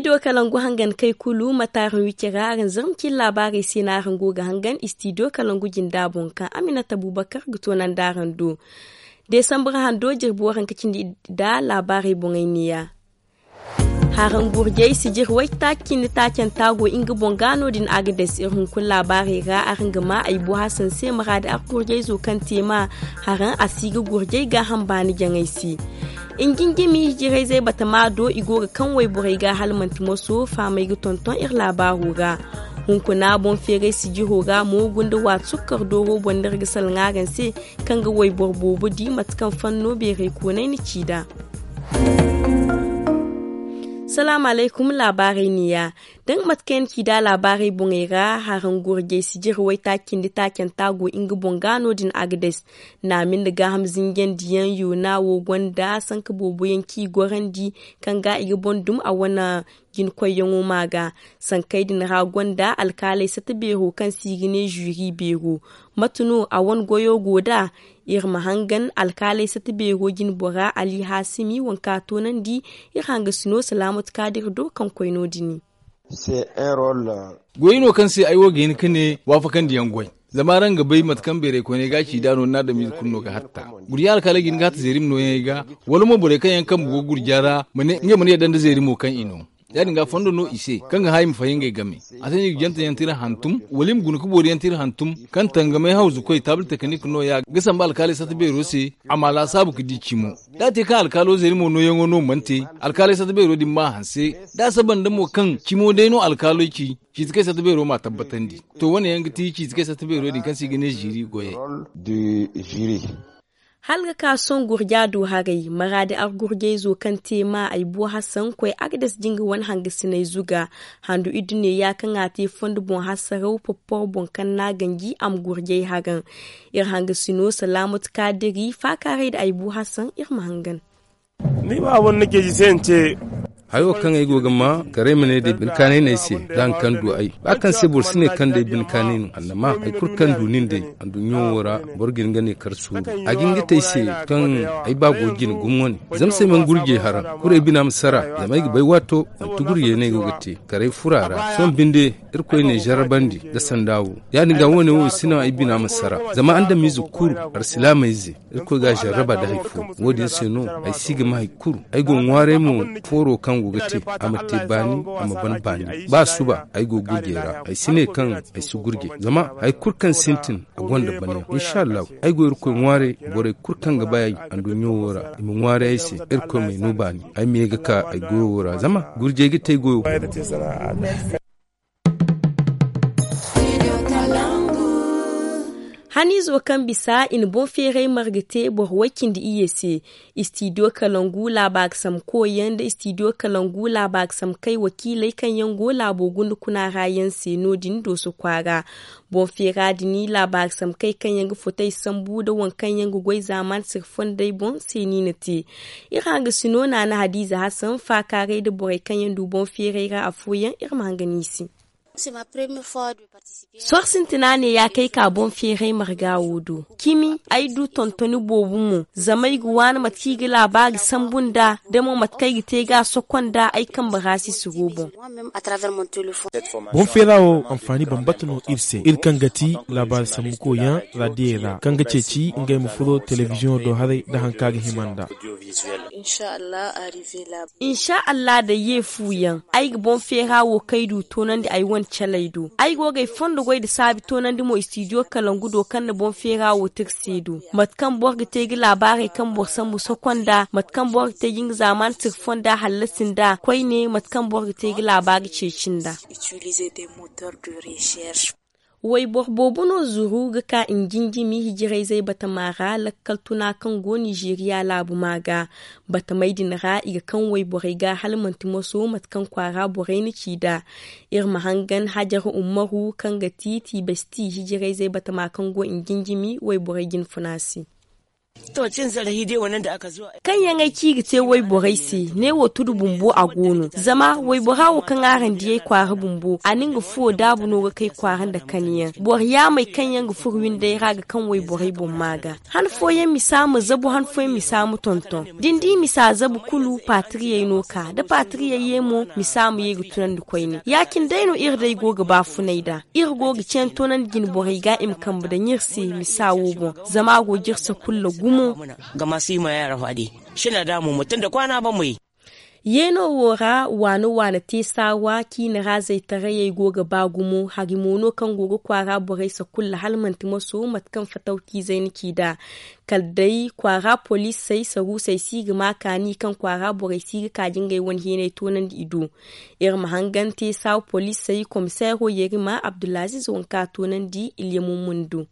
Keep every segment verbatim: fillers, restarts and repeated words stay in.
Istidiyo kalangu hangan kay kulu mate araŋ wicira araŋ zarma cine laabaarey se no araŋ go ga hangan istidiyo kalangu jinda boŋ kaŋ aminata abubakar ga toonandi araŋ do. Desambar hando jirbi waranka cindi iddu da laabaarey boŋey neeya. Haraŋ gurjey sijir waytaaci cindi taacanta go nga boŋ ga no- din agades iri hunkuna laabaarey ra araŋ ga ma ay bu hasan se maraadi argurjayzo kaŋ te ma haraŋ a si ga gurjay gaaham baani jaŋay se. Injinjimi hijirayzey batama do i go ga kaŋ wayborey ga hala manti moso faamay ga tonton iri laabaaro ra. Hunkuna boŋ feeray sijiro ra mo gunda waati sukkar dooro boŋ no iri ga salaŋ araŋ se kaŋ ga wayboro boobo di mate kaŋ fanno beeray koonay na ci nd'a. Salaamu alaykum. Laabaarey neeya. Da nga mate kaŋ yaŋ na ci nd'a laabaarey boŋey ra haraŋ gurjay sijir waytaaci cindi taacanta go nga boŋ ga no- din agades. Naami nda gaaham zinjandiyaŋ yoona wo gonda sanka boobo yaŋ kaŋ i gorandi kaŋ ga i ga boŋ dum a wane jinkoyyaŋo ma ga. Sankey din ra gonda alkaaley sata beero kaŋ se i ga ne zuri beero. Mate no a wane goyo go nd'a? Iri ma hangan alkaaley sata beero jinbora ali haasimi waŋ kaŋ a toonandi. Iri hangasino salaamatu kaadir do kaŋ koy no- din. Goy no kaŋ se ay wo ga hin ga ne waafakandiyaŋ goy. Zama araŋ ga bay mate kaŋ beeray koyney ga a ci nd'a no ni na adamize kulu no ga hatta. Gurja alkaaley ga hin ga hatta zeeri ma nooyaŋey ga wala mo borey kaŋ yaŋ kambe go gurja ra ma ne ngey mana yadda nda zeeri mo kaŋ i no. Ya- din ga fondo no i se kaŋ ga hã i ma faham ngey game. A se no i ga jante yaŋ tira hantum wala i ma guna ka boori yaŋ tira hantum kaŋ tangamay hawzukoy taabul teknik nooya ga sambu alkaaley sata beero se a ma laasaabu ga di cimo. Da a te kaŋ alkaalo zeeri mo nooyaŋo no mana te, alkaaley sata beero din ma hanse. Da a saba nda mo kaŋ cimo day no alkaalo ci ciiti kaŋ ay sata beero ma tabbatandi. To wane yaŋ ga ti ciiti kaŋ ay sata beero din kaŋ se i ga ne ziiri goyey. Hala ga ka sohõ gurja du haray maraadi argurjayzo kaŋ te ma ay bu hasan koy agades jinga wane hangasinay zuga. Handu iddu neeya kaŋ a te fondo boŋ hasaraw popporo boŋ kaŋ no a ganji a ma gurjay haraŋ. Iri hangasino salaamatu kaadiri faakaaray nda ay bu hasan iri ma hangan. Ni ba wane na ceeci se ni ce. Hayo kaŋ ay go ga ma karay ma ne day bine kaanay no ay se da hari kaŋ du ay ba kaŋ se boro si ne kaŋ day bine kaanay no annama hari kulu kaŋ du nin day. Anduɲɲo wo ra boro ga hin ga ne kar suuru a ga hin ga te ay se kaŋ ay ba go ga jine gumo wane. Zama se ay mana gurjay haraŋ kulu ay bina ma sara zama ay ga bay waato manti gurjay no ay go ga te karay furo a ra sohõ binde. Irkoy n'ay jarrabandi nda sanda wo ya- din ga wo- ne wo si naŋ ay bina ma sara zama adamize kulu alsilaamey ze. Irkoy ga a jarraba nda hari fo. Wo- din se no ay si ga ma hari kulu ay go ga ŋwaaray mo. Fooro kaŋ go ga te a ma te baani a ma ban baani ba suba ay go ga gurjay ra ay si ne kaŋ ay si gurjay zama hari kulu kaŋ sintin a gonda banayaŋ insa allahu. Ay go irkoy ŋwaaray borey kulu kaŋ ga bay ay anduɲɲo wo ra i ma ŋwaaray ay se. Irkoy m'ay no baani ay ma ye ga ka ay goyo wo ra zama gurjay ga te ay goyo. Haniizo kaŋ bisa i na boŋ feeray marga te boro way cindi iyye se. Istidiyo kalangu laabaari sambu koyyaŋ nda istidiyo kalangu laabaari sambu kay wakiiley kaŋ yaŋ go laabo gunda kuna ra yaŋ se no- din dooso kwaara. Boŋ feera din laabaari sambu kay kaŋ yaŋ ga fotey sambu nda waŋ kaŋ yaŋ ga goy zaamaani sirri fondey boŋ se no i na te. Iri hangasino naana hadiiza hasan faakaaray nda borey kaŋ yaŋ du boŋ feeray ra afooyaŋ iri ma hangan i se. Sohõ sintina ne ya kay ka boŋ feeray marga wo do cimi. Ay du tontoni boobo mo zama ay ga waani mate kaŋ i ga laabaari sambu nd'a da mo mate kaŋ ay ga te ga a soko nd'a ay kambe ra si si go boŋ. Boŋ feera wo anfaani bambata no iri se iri kaŋ ga ti laabaari sambu koyyaŋ raadiyey ra kaŋ ga ceeci ngey ma furo telebiziyoŋo do haray nda hari kaŋ a ga hima nd'a. Insa allah da ye fu yaŋ ay ga boŋ feera wo kaŋ ay du toonandi ay wane caley do ay go ga ay fondo goy nda saabi toonandi mo istidiyo kalangu do kaŋ na boŋ feera wo te iri se do mate kaŋ boro ga te ga laabaarey kaŋ boro sambu soko nd'a mate kaŋ boro ga te ga nga zaamaani tira fonda hallasi nd'a koyne mate kaŋ boro ga te ga laabaari ceeci nd'a. Wayboro boobo no zuru ga ka njinjimi hijirayzey batama ra lakkal tuna kaŋ go nizeeriya laabu ma ga. Batamey din ra i ga kaŋ wayborey ga hala manti moso mate kaŋ kwaara borey na ci nd'a. Iri ma hangan hajar ummaru kaŋ ga ti tiibasti hijirayzey batama kaŋ go njinjimi wayborey jinfuna se. Kaŋ yaŋ ay ci i ga te wayborey se, ne wo tudu bumbo a go no. Zama waybora wo kaŋ araŋ di ay kwaara bumbo, a na nga fuwo daabu no ga kay kwaara nda kaniyaŋ. Boro yaamey kaŋ yaŋ ga furo windey ra ga kaŋ wayborey boŋ maa ga. Han fooyaŋ misa ma zabu, han fooyaŋ misa ma tonton. Da ni di misa zabu kulu, paatiriyey no ka da paatiriyey ye mo, misa ma ye ga tunandi koyne. Ya- cine day no iri day go ga baafunay nd'a. Iri go ga cene toonandi jine borey ga i ma kambe daŋ iri se misa wo boŋ, zama a go ga iri sakulla gumo. Gama si ma yaara faadi. Sina da mo mo tun da kwaana ban mo ye. Yeeno wo ra waana waana te saawa ciina ra zaytarayey go ga ba gumo hari mo no kaŋ go ga kwaara borey sakulla hala manti maso mate kaŋ fatawciizey na ci nd'a. Kala day kwaara poliisey saruusey si ga ma kaani kaŋ kwaara borey si ga ka ga ngey wane heeney toonandi i do. Iri ma hangan te saawa poliisey komiseero yerima abdulaziiz wanka toonandi ilyamumun do.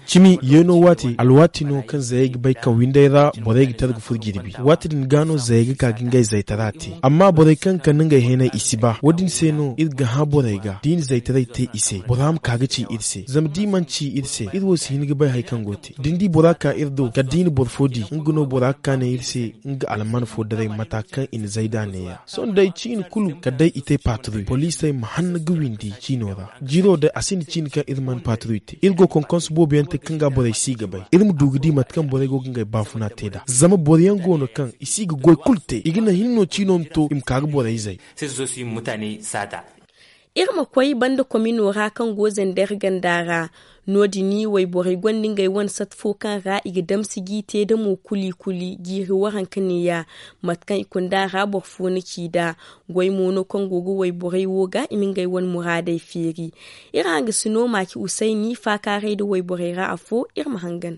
Cimi yeeno waati alwaati no kaŋ zayey ga bay kaŋ windey ra borey ga tara ga furo jirbi. Waati din ga no zayey ga ka ga ngey zaytara te. Amma borey kaŋ ga kande ngey heeney i si ba wo- din se no iri ga hã borey ga da i na zaytaray te i se bora ma ka ga ci iri se zama da i mana ci iri se iri wo si hin ga bay hari kaŋ go ga te da ni di bora ka iri do kala da i na boro fo di nga no bora ga ka ne iri se nga alman fo daray mata kaŋ i na zay nd'a neeya. Sohõ day ciine kulu kala day i te paaturu poliisey ma hanna ga windi ciino ra. Jiiro day a sinda ciine kaŋ iri mana paaturu i te iri go konkonsu boobo yaŋ te kaŋ ga borey si ga bay iri ma du ga di mate kaŋ borey go ga ngey baafuna te nd'a zama boro yaŋ go no kaŋ i si ga goy kulu te i ga naŋ hinne no ciino ma to i ma ka ga borey zay. Iri ma koy banda komino ra kaŋ go zender ganda ra. No- din wayborey gonda ngey wane sat fo kaŋ ra i ga damsi g'i te da mo kuli kuli jiiri waranka neeya. Mate kaŋ i kunda ra boro fo na ci nd'a. Goy mo no kaŋ go ga wayborey wo ga i ma ngey wane muraadey feeri. Iri hangasino maaci usayni faakaaray nda wayborey ra afo iri ma hangan.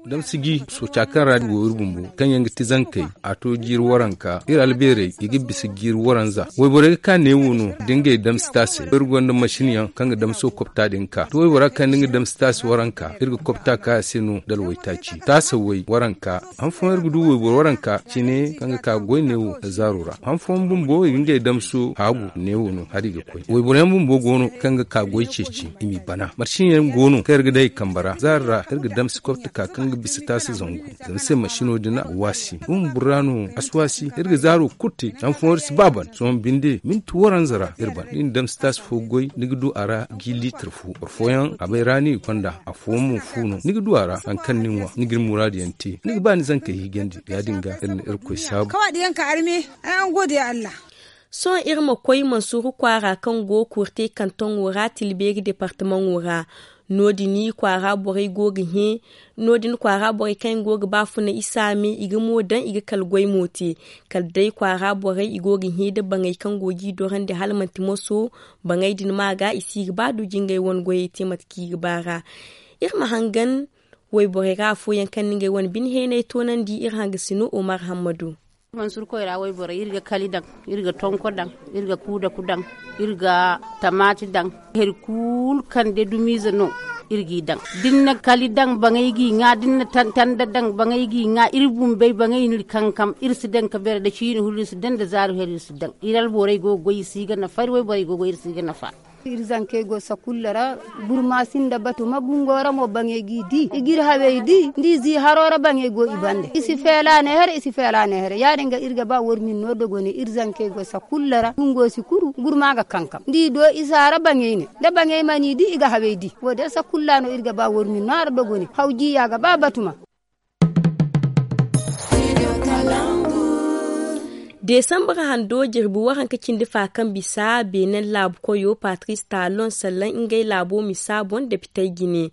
Damsiji sooca kaŋ ra go iri bumbo kaŋ yaŋ ga ti zankey a to jiiri waranka iri albeerey i ga bisa jiiri waranza. Wayborey ga ka neewo no da ngey damsi taasey iri gonda masin yaŋ kaŋ ga damso kopta din ka to waybora kaŋ da nga damsi taasi waranka iri ga kopta ka a se no da alwaytaaci taasa way waranka. Han fooyaŋ iri ga du wayboro waranka cine kaŋ ga ka goy neewo da zaaro ra han fooyaŋ bumbo i ga ngey damso haagu neewo no hari ga koy wayboro yaŋ bumbo go no kaŋ ga ka goy ceeci i m'i bana marsin yaŋ go no kaŋ iri ga day i kambe ra zaaro ra iri ga damsi kopta ka kaŋ ga bisa taasi zangu. Zama se masino din a ga waasi bumbo ra no a si waasi iri ga zaaro kulu te han fooyaŋ iri si ba ban sohõ binde minti waranza ra iri ban da i na damsi taasi fo goy ni ga du a ra gi liitir fo boro fooyaŋ a bay ra no i ga konda afooyaŋ mo fu no ni ga du a ra hari kaŋ ni ŋwa ni ga ni muraadu yaŋ te ni ga ba ni zankey hijandi ya- din ga iri na irkoy saabu. Kawaadiyaŋ ka arme ay an godiya allah. Sohõ iri ma koy mansuuru kwaara kaŋ go kurte kantoŋo ra tilbeeri departamaŋo ra. No- din kwaara borey go ga hẽ no- din kwaara borey kaŋ yaŋ go ga ba funa isaame i ga mo daŋ i ga kala goy mo te. Kala day kwaara borey i go ga hẽ nda baŋey kaŋ go g'i dorandi hala manti moso. Baŋey din ma ga i si ga ba du jingey wane goyey te mate kaŋ i ga ba ra. Iri ma hangan wayborey ra afooyaŋ kaŋ na ngey wane bine heeney toonandi iri hangasino omar hammadu. Mansuur koyra wayborey iri ga kali daŋ, iri ga tonko daŋ, iri ga kuudaku daŋ, iri ga tamaati daŋ. Hari kulu kaŋ day dumiize no iri g'i daŋ. Da ni na kali daŋ baŋey g'i ŋwa da ni na tanda daŋ baŋey g'i ŋwa iri bumbey baŋey no iri kankam iri si daŋ ka beere da ciine huru iri si daŋ da zaaru here iri si daŋ. Iri alborey go ga goy i si ga nafa iri wayborey go ga goy iri si ga nafa. Iri zankey go sakulla ra. Burma sinda batu ma bungo ra mo baŋey g'i di i g'iri hawey di nda i zi haro ra baŋey go i bande i si feela ne here i si feela ne here ya- din ga iri ga ba war min no dogone iri zankey go sakulla ra bungo si kuru burma ga kankam nda i do i za ra baŋey ne. Da baŋey mana i di i ga hawey di wo- din sakulla no iri ga ba war min no a ra dogone haw jiya ga ba batuma. Desambar hando jirbi waranka cindi fa kaŋ bisa beenen laabu koyo patris talon sallaŋ ngey laabo misa boŋ depitey jine.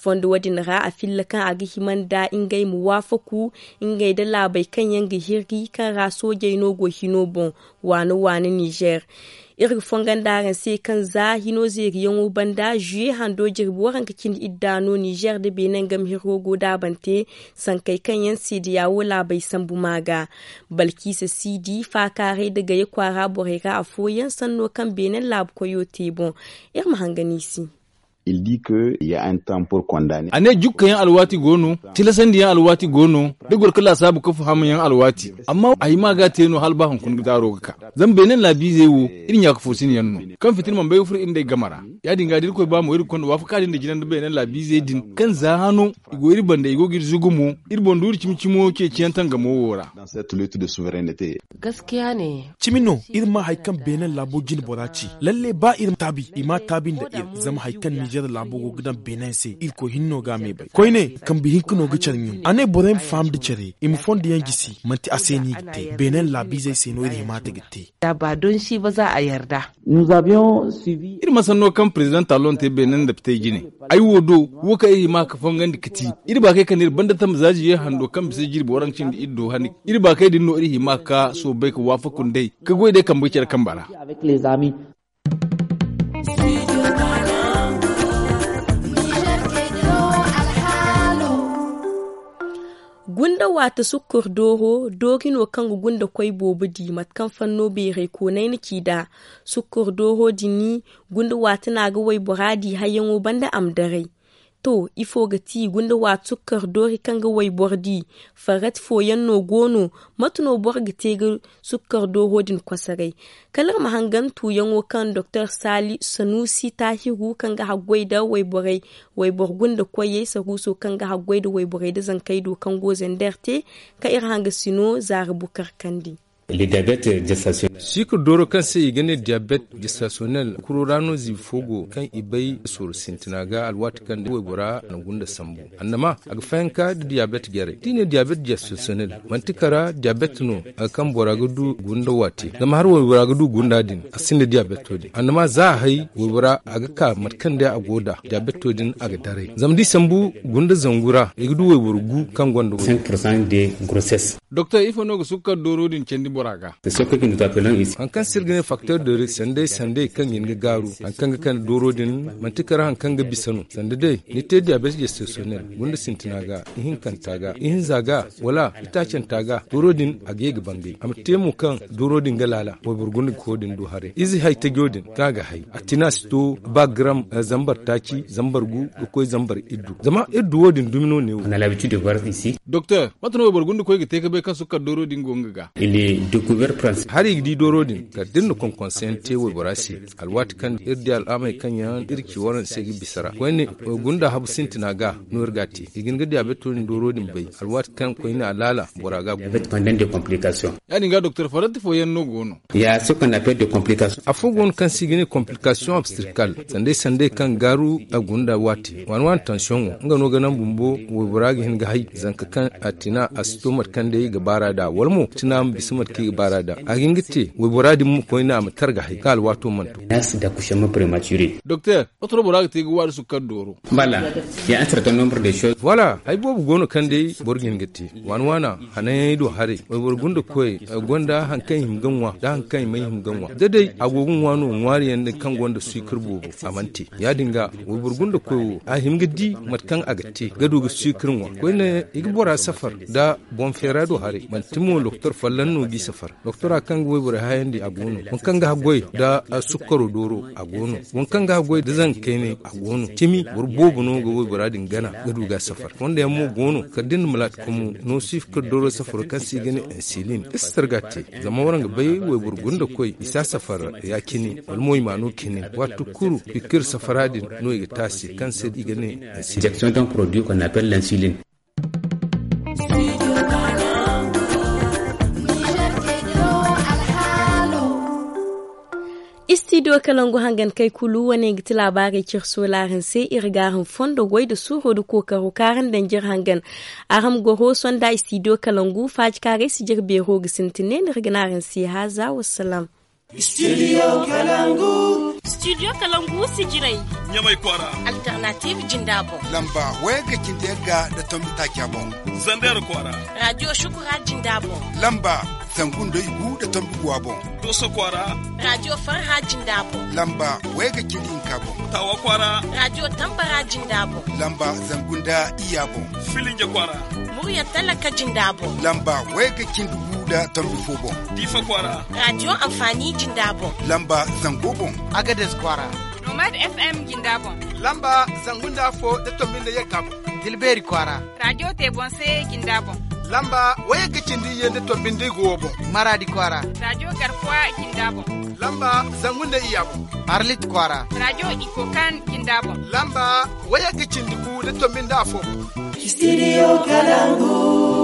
Fondo wo- din ra a filla kaŋ a ga hima nda ngey ma waafaku ngey nda laabey kaŋ yaŋ ga hirri kaŋ ra soojey no go hino boŋ waana waana nizer. Iri ga fongon da araŋ se kaŋ za hino zeeriyaŋo banda zuye hando jirbi waranka cindi idda no nizer nda beenen game hirro go daabante. Sankey kaŋ yaŋ se da yaawo laabey sambu ma ga balkiisa siidi faakaaray nda gaye kwaara borey ra afooyaŋ sanno kaŋ beenen laabu koyo te boŋ. Iri ma hangan i se. Il dit que il y a un temps pour condamner. A ne jukka yaŋ alwaati go no, tilasandi yaŋ alwaati go no, da goro ka laasaabu ka faham yaŋ alwaati. Amma a hima ga a te no hala ba hunkuna ga daaro ga ka zama beene laabiizey wo, iri ɲaaka foosin yaŋ no, kaŋ fitina mana bay ga furo iri nd'ey game ra. Ya- din ga da iri koy ba mo iri ga konda waafaka din da jina nda beene laabiizey din kaŋ za hano i go iri banda i go ga iri zugu mo. Iri boŋ du iri cimi cimo ceeciyaŋ tangamo wo ra. Cimi no iri ma hari kaŋ beene laabo jine bora ci. Lalle ba iri ma taabi i ma a taabi nda iri zama hari kaŋ nizer laabo go ga daŋ beene se iri koy hinne no ga a me bay koyne. Kambe hinka no ga care ɲun a ne borey ma faham nda care i ma fondo yaŋ jisi manti a se no i ga te beene laabiizey se no iri hima te ga te. Iri ma sanno kaŋ prezidaŋ talon te beene nda pitey jine. Ay wo do wo kaŋ iri hima ga fongandi ga ti iri baakey kaŋ na iri banda tambe za ziye hando kaŋ bisa jirbi waranka cindi iri do hani. Iri baakey din no iri hima ga ka soobay ga waafaku nd'ey ga goy day kambe ga care kambe ra. Gunda waate sukkar dooro doori no kaŋ ga gunda koy boobo di mate kaŋ fanno beeray koonay na ci nd'a. Sukkar dooro din gunda waate no a ga waybora di hayyaŋo banda a ma daray. To ifo ga ti gunda waate sukkar doori kaŋ ga wayboro di? Farrati fooyaŋ no go no? Mate no boro ga te ga sukkar dooro din kosoray? Kala iri ma hangan tuuyaŋo kaŋ doktor saali sanuusi taahiru kaŋ ga haggoy nda wayborey wayboro gunda koyey saruuso kaŋ ga haggoy nda wayborey nda zankey do kaŋ go zander te. Kaŋ iri hangasino zaara bukar kandi. Siikir dooro kaŋ se i ga ne diyabet jestasiyonel kuro ra no ziibi fo go kaŋ i bay sooru sintina ga alwaati kaŋ day waybora na gunda sambu. Annama a ga fayanka nda diyabet jarey da i ne diyabet jestasiyonel manti kara diyabet no kaŋ bora ga du gunda waati zama hari waybora ga du gunda din a sinda diyabeto din annama za a hay waybora a ga ka mate kaŋ day a go nd'a diyabeto din a ga daray zama da i sambu gunda zangu ra i ga du wayboro gu kaŋ gonda wayboro. Doktor ifo no ga sukkar dooro din candi bora ga? Hari kaŋ se iri ga ne faktor de risk sanday sanday kaŋ ga hin ga gaaru hari kaŋ ga kande dooro din manti kara hari kaŋ ga bisa no sanda day ni te diyabet jestasiyonel gunda sintina ga ihinkanta ga ihinza ga wala itaacanta ga dooro din a ga ye ga bangay a ma te mo kaŋ dooro din ga laala wayboro gunda ga koy din du haray ize hay tajo din kaŋ a ga hay a tina si to ba garam zambar taaci zambar gu ga koy zambar iddu zama iddu wo- din dumi no ne wo. Doktor mate no wayboro gunda koy ga te ga bay kaŋ sukkar dooro din go nga ga? Hari i ga di dooro din kala da iri na konkonse yaŋ te waybora se alwaati kaŋ iri di al'amey kaŋ yaŋ iri ci waranse ga bisa ra koyne gunda habu sintina ga no iri ga a te i ga hin ga diyaabeto din dooro din bay alwaati kaŋ koyne a laala bora ga a guna. Ya- din ga doktor farrati fooyaŋ no go no? Afo go no kaŋ se i ga ne komplikasiyoŋ abstirkal sanday sanday kaŋ gaaru a gunda waati waani waani tansiyoŋo nga no ga naŋ bumbo waybora ga hin ga hay zanka kaŋ a tina a si to mate kaŋ day ga baara nd'a wala mo tina ma bisa mate kaŋ i ga baara nd'a a ga hin ga te waybora din ma koyne a ma tar ga hay kaŋ alwaato mana to. Doktor wato no bora ga te ga waari sukkar dooro? Voilà. Hay boobo go no kaŋ day boro ga hin ga te waani waana hananyaŋey do haray wayboro gunda koyey gonda hari kaŋ i hima ga ŋwa nda hari kaŋ i mana hima ga ŋwa da day a go ga ŋwa no ŋwaari yaŋ din kaŋ gonda suukar boobo a mana te ya- din ga wayboro gunda koy wo a hima ga di mate kaŋ a ga te ga du ga suukar ŋwa koyne i ga bora safar nda boŋ feera do haray manti mo doktor folloŋ no g'i safar doktora kaŋ ga wayborey hayandi a go no waŋ kaŋ ga haggoy nda sukkaro dooro a go no waŋ kaŋ ga haggoy nda zanka kaynay a go no cimi boro boobo no ga waybora din gana ga du ga a safar fonda yaŋ mo go no kala da ni na malaati kamu no sukkaro dooro safaro kaŋ se i ga ne insilin iri si targa te zama waraŋ ga bay wayboro gunda koy i si a safar ya- cine wala mo i ma no cine waati kulu pikir safara din no i ga te a se kaŋ se i ga ne insilin. Istidiyo kalangu hangan kay kulu wane ga ti laabaarey cire soolaaraŋ se iri ga araŋ fondo goy nda suuro nda kookaro kaŋ araŋ daŋ jire hangan. Araŋ ma goro sonda istidiyo kalangu faaji kaŋ a ga ay si jire beero ga sintin ne no iri ga ne araŋ se haaza wassalam. Studio kalangu. Studio kalangu si jiray. Ɲamay kwaara. Alternative jinda boŋ. Lamba waya ga cindi yagga nda tombi taaca boŋ. Zander kwaara. Radio shukura jinda boŋ. Lamba zangu nda igu nda tombi guwa boŋ. Doso kwaara. Radio farha jinda boŋ. Lamba waya ga cindi hinka boŋ. Tawa kwaara. Radio tambara jinda boŋ. Lamba zangu nda iya boŋ. Filinja kwaara. Murya talaka jinda boŋ. Lamba waya ga cindi gu nda tombi fo boŋ. Diifa kwaara. Radio amfani jinda boŋ. Lamba zango boŋ. Agades kwaara. Nomad F M jinda boŋ. Lamba zangu nda afo da tombi nda yagga boŋ. Dilbeeri kwaara. Rajo te boŋ se jinda boŋ. Lamba wayagga cindi iyye nda tombi nda igu wo boŋ. Maraadi kwaara. Rajo garkuwa jinda boŋ. Lamba zangu nda iyya boŋ. Arlit kwaara. Rajo ikokan jinda boŋ. Lamba wayagga cindi gu da tombi nda afo boŋ. Studio Kalangu.